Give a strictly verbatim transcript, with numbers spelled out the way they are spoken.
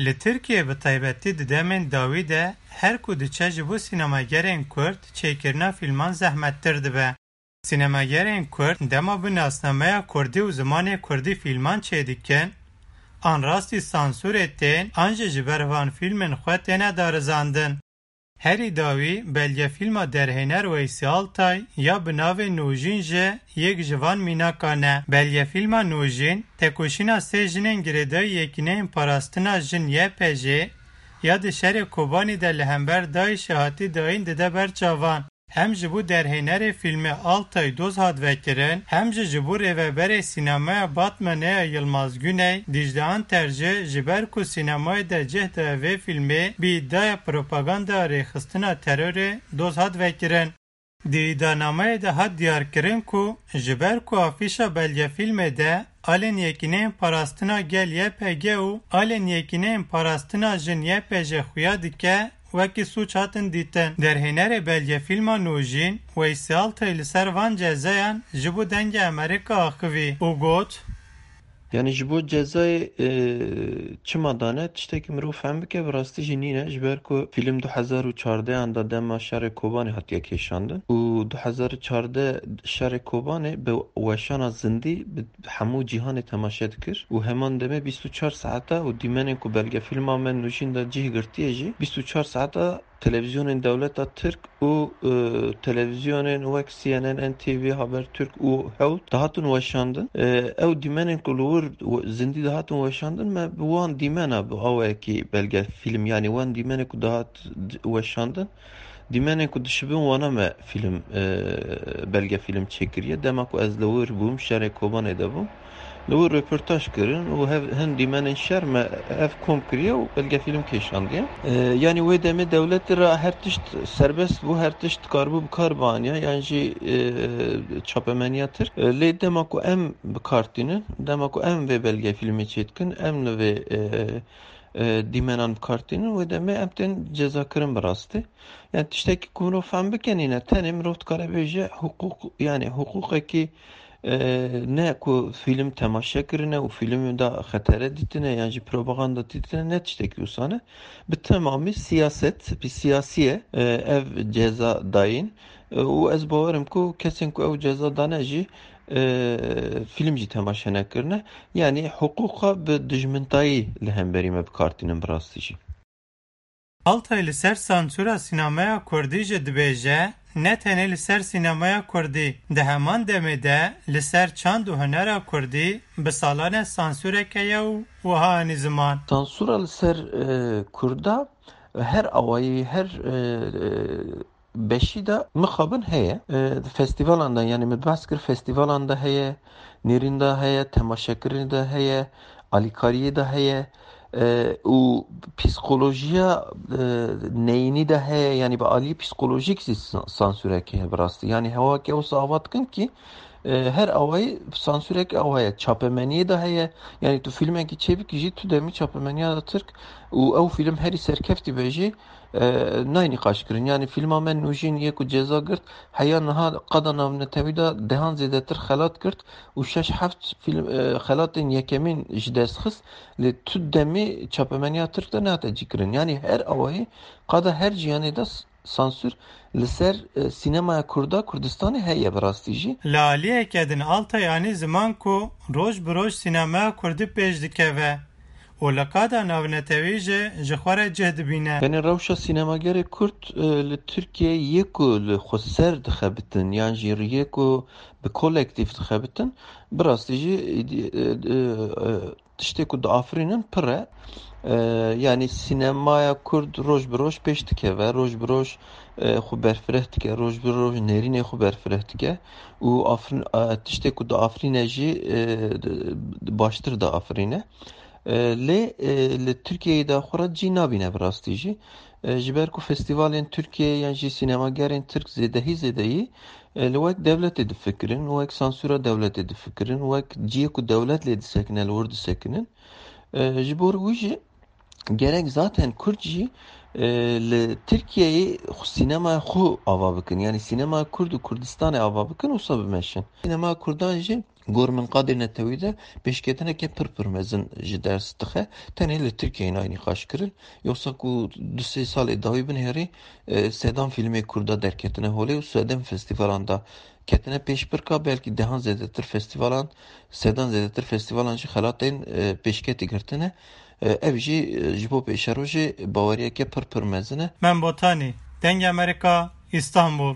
Li Tirkiyê bi taybetî di demên dawî de her ku diçe ji bo sînemagerên Kurd çêkirina fîlman zehmettir dibe. Sînemagerên Kurd dema bi nasnameya Kurdî û zimanê Kurdî fîlman çêdikin, an rastî sansûrê tên an jî ji ber van fîlmên xwe têne darizandin. Herî dawî belgefîlma derhêner Weysî Altay ya bi navê Nûjîn jî yek ji van mînakan e. Belgefîlma Nûjîn, tekoşîna sê jinên girêdayî Yekîneyên Parastina Jin Y P J ya di şerê Kobanî de li hember DAIŞê hatî dayîn dide ber çavan. Hem ji bo derhênerê fîlmê Altay doz hat vekirin, hem jî ji bo rêveberê sînemeya Batmanê ya Yilmaz Güney, Dîcle Anter jî ji ber ku sînemayê de cih daye vê fîlmê, bi îdiaya propaganda rêxistina terorê doz hat vekirin. Di îdianameyê de hat diyarkirin ku ji ber ku afîşa belgefîlmê de alên Yekîneyên Parastina Gel Y P G û alên Yekîneyên Parastina Jin Y P J xuya dike, wekî sûc hatin dîtin. Derhênerê belgefîlma Nûjîn, Weysî Altay li ser van cezayan ji bo Dengê Amerîka axivî û got, Yanî ji bo cezayê, e, çima dane, tiştekî mirov fehm bike, bi rastî jî nîne. Ji ber ku fîlm du hezar û çardehan de dema şerê Kobanê hatiye kêşandin û du hezar û çardeh şerê Kobanê bi weşana zindî bi hemû cîhanê temaşe dikir û heman demê bîst û çar saeta û dîmenên ku belgefîlma me Nûjîn de cih girtiye jî bîst û çar saeta televîzyonên dewleta Tirk û, e, televîzyonên wek C N N, N T V, Habertürk û hewt dihatin weşandin. E, ew dîmenên ku li wir we-, zindî dihatin weşandin, me bi wan dîmena bi awayekî belgefîlm, yanî wan dîmenê ku dihat d-, weşandin, dîmenên ku dişibin wana me fîlm, e, belgefîlm çêkiriye. Dema ku ez li wir bûm, şerê Kobanê de bûm. Li wir röportaj kirin û hev, hin dîmenên şer me hev kom kiriye û belgefîlm kêşandiye. E, yanî wê demê dewletê re her tişt serbest bû, her tişt dikaribû bi kar bianiya, yan jî, e, çapemeniya Tirk. E, lê dema ku em bi kar tînin, dema ku em vê belgefîlmê çêdikin, em li vê, e, e, dîmenan bi kar tînin, wê demê em tên cezakirin bi rastî. Yani tiştekî ku mirov fehm bike nîne, tenê mirov dikare bêje hiqûq, yani hiqûqekî, e, ne ku fîlm temaşe kirine û fîlm da xetere dîtine yan jî propaganda dîtine, ne tiştekî wisa ne. Bi temamî siyaset, bi siyasî ye, e, ev ceza dayîn. E, û ez bawerim ku kesên ku ew ceza dane jî, e, fîlm jî temaşe nekirine. Yani hiqûqa bi dijmintayî li hemberî me bi kar tînin bi rastî jî. Altay li ser sansûra sînemeya kurdî jî dibêje, ne tenê li ser sînemeya kurdî, di heman demê de li ser çand û hunera kurdî bi salan e sansûrek heye û wiha anî ziman. Sansûra li ser, e, kurda her awayî, her, e, e, beşî de mixabin heye. E, di festîvalan de, yanî min behs kir, festîvalan de heye, nêrîn de heye, temaşekirinê de heye, alîkariyê de heye, e, û psîkolojiya, e, neyînî de heye, yanî bi alî psîkolojîk jî sa-, sansûrekê heye bi rastî. Yanî hewa ke wisa ava dikin kî, e, her awayî sansûrek awa ye. Çapemeniyê de heye, yanî tu fîlmekî çêbikî jî tu demî çapemeniya de Tirk û ew fîlm herî serkeftî be jî, e, nayê nîqaşkirin. Yanî fîlma me Nûjîn yê ku ceza girt, heya niha qada navnetewî de dehan zêdetir xelat girt û şeş heft fîlm, e, xelatên yekemîn ji dest xist. Lê tu demî çapemeniya Tirk de nehate cîkirin. Yanî her awayî qada her ciyanê de s-, sansûr li ser, e, sînemaya kurda Kurdistanê heye bi rastî jî. Li aliyeke din Altay anî ziman ku roj bi roj sînemaya kurdî pêş dikeve û li qada navnetewî jî ji xwe re cih dibîne. Yanî rewşa sînemagerê kurd, e, li Tirkiyeyê yê ku li xweser dixebitin yan jî yê ku bi kolektîf dixebitin, bi rastî jî, e, e, e, tiştê ku diafirînin pir e. E, yanî sînemaya kurd roj bi roj pêş dikeve, roj bi roj, e, xwe berfireh dike, roj bi roj nêrînê xwe berfireh dike û afrin-, e, tiştê ku diafirîne jî, e, di-, baştir diafirîne. E, lê, e, li Tirkiyeyê de xwe re cî nabîne bi rastî jî. E, ji ber ku festîvalên Tirkiyeyê yan jî sînemagerên Tirk zêdehî zêdeyî, e, li wek dewletê difikirin, wek sansûra dewletê difikirin, wek cihê ku dewlet lê disekine, li wir disekinin. E, ji bo wî jî gerek zaten Kurd jî, e, li Tirkiyeyê xwe sînemaya xwe ava bikin. Yanî sînemaya Kurd û Kurdistanê ava bikin, wisa bimeşin. Sînemaya Kurdan jî Gor min qadê netewî de pêşketineke pir pir mezin ji ders dixe. Tenê li Tirkiyeyê nayê nîqaş kirin. Yoksa ku du sê salê dawî binêrî, e, sedan fîlmê Kurda derketine holê û sedan festîvalan da ketine pêşbirka, belkî dehan zêdetir festîvalan, sedan zêdetir festîvalan jî xelatên, e, pêşketî girtine. E, ev jî, e, ji bo pêşerojê baweriyeke pir pir mezin e. Mem Botanî, Dengê Amerîka, Îstanbul.